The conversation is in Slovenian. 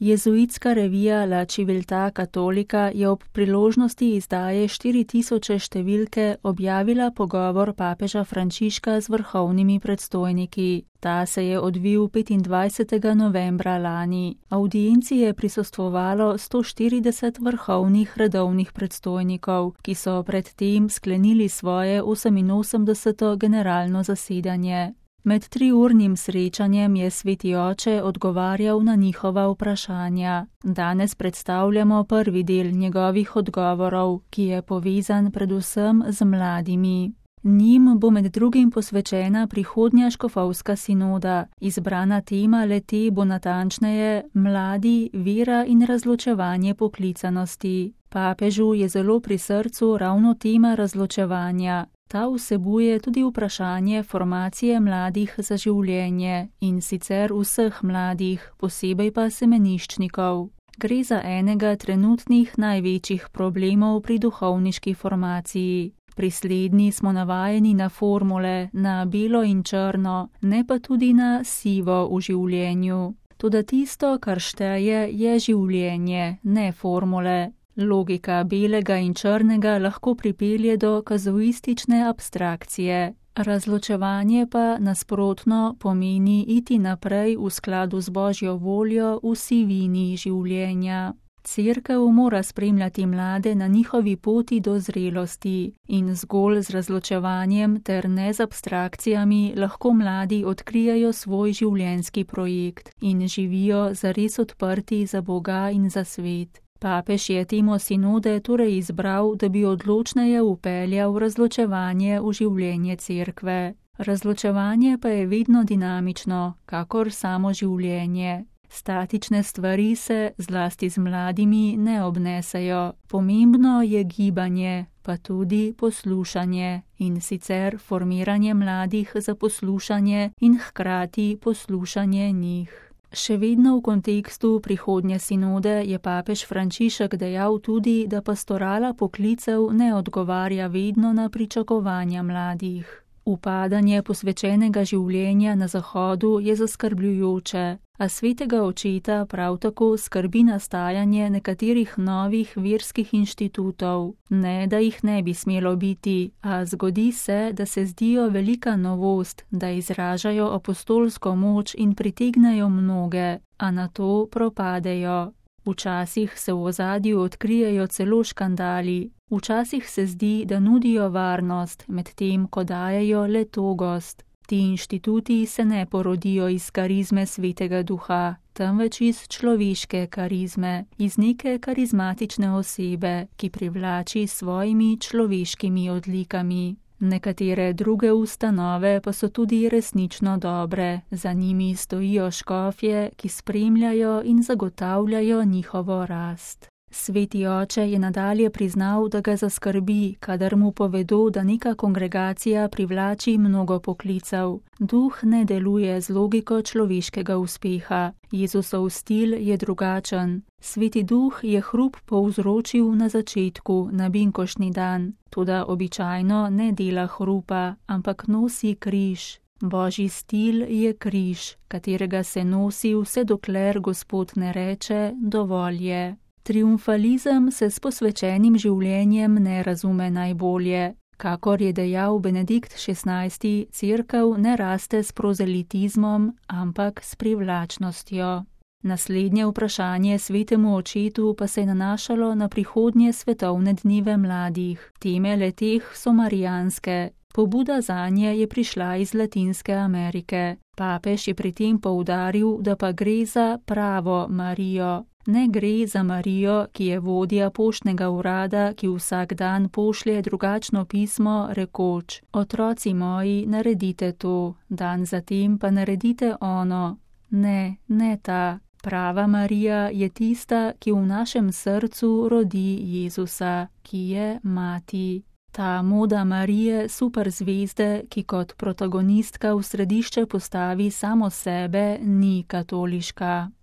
Jezuitska revija La Civiltà Cattolica je ob priložnosti izdaje 4000 številke objavila pogovor papeža Frančiška z vrhovnimi predstojniki. Ta se je odvil 25. novembra lani. Avdienci je prisostvovalo 140 vrhovnih redovnih predstojnikov, ki so predtem sklenili svoje 88. generalno zasedanje. Med 3-urnim srečanjem je Sveti oče odgovarjal na njihova vprašanja. Danes predstavljamo prvi del njegovih odgovorov, ki je povezan predvsem z mladimi. Njim bo med drugim posvečena prihodnja škofovska sinoda. Izbrana tema le-te bo natančneje mladi, vera in razločevanje poklicanosti. Papežu je zelo pri srcu ravno tema razločevanja. Ta vsebuje tudi vprašanje formacije mladih za življenje, in sicer vseh mladih, posebej pa semeniščnikov. Gre za enega trenutnih največjih problemov pri duhovniški formaciji. Pri slednji smo navajeni na formule, na belo in črno, ne pa tudi na sivo v življenju. Toda tisto, kar šteje, je življenje, ne formule. Logika belega in črnega lahko pripelje do kazuistične abstrakcije. Razločevanje pa nasprotno pomeni iti naprej v skladu z Božjo voljo v sivini življenja. Cerkev mora spremljati mlade na njihovi poti do zrelosti in zgolj z razločevanjem ter ne z abstrakcijami lahko mladi odkrijajo svoj življenjski projekt in živijo zares odprti za Boga in za svet. Papež je temo sinode torej izbral, da bi odločneje vpeljal razločevanje v življenje cerkve. Razločevanje pa je vedno dinamično, kakor samo življenje. Statične stvari se, zlasti z mladimi, ne obnesejo. Pomembno je gibanje, pa tudi poslušanje, in sicer formiranje mladih za poslušanje in hkrati poslušanje njih. Še vedno v kontekstu prihodnje sinode je papež Frančišek dejal tudi, da pastorala poklicev ne odgovarja vedno na pričakovanja mladih. Upadanje posvečenega življenja na Zahodu je zaskrbljujoče, a svetega očeta prav tako skrbi nastajanje nekaterih novih verskih inštitutov. Ne, da jih ne bi smelo biti, a zgodi se, da se zdijo velika novost, da izražajo apostolsko moč in pritegnejo mnoge, a nato propadejo. Včasih se v ozadju odkrijejo celo škandali, včasih se zdi, da nudijo varnost, medtem ko dajejo le togost. Ti inštituti se ne porodijo iz karizme Svetega Duha, temveč iz človeške karizme, iz neke karizmatične osebe, ki privlači s svojimi človeškimi odlikami. Nekatere druge ustanove pa so tudi resnično dobre, za njimi stojijo škofje, ki spremljajo in zagotavljajo njihovo rast. Sveti oče je nadalje priznal, da ga zaskrbi, kadar mu povedo, da neka kongregacija privlači mnogo poklicev. Duh ne deluje z logiko človeškega uspeha. Jezusov stil je drugačen. Sveti Duh je hrup povzročil na začetku, na binkoštni dan, toda običajno ne dela hrupa, ampak nosi križ. Božji stil je križ, katerega se nosi vse dokler Gospod ne reče, dovolj je. Triumfalizem se s posvečenim življenjem ne razume najbolje. Kakor je dejal Benedikt XVI, cerkev ne raste s prozelitizmom, ampak s privlačnostjo. Naslednje vprašanje svetemu očetu pa se je nanašalo na prihodnje svetovne dneve mladih. Teme le-teh so marijanske. Pobuda zanje je prišla iz Latinske Amerike. Papež je pri tem poudaril, da pa gre za pravo Marijo. Ne gre za Marijo, ki je vodja poštnega urada, ki vsak dan pošlje drugačno pismo, rekoč: otroci moji, naredite to, dan zatem pa naredite ono. Ne, ne ta. Prava Marija je tista, ki v našem srcu rodi Jezusa, ki je mati. Ta moda Marije, superzvezde, ki kot protagonistka v središče postavi samo sebe, ni katoliška.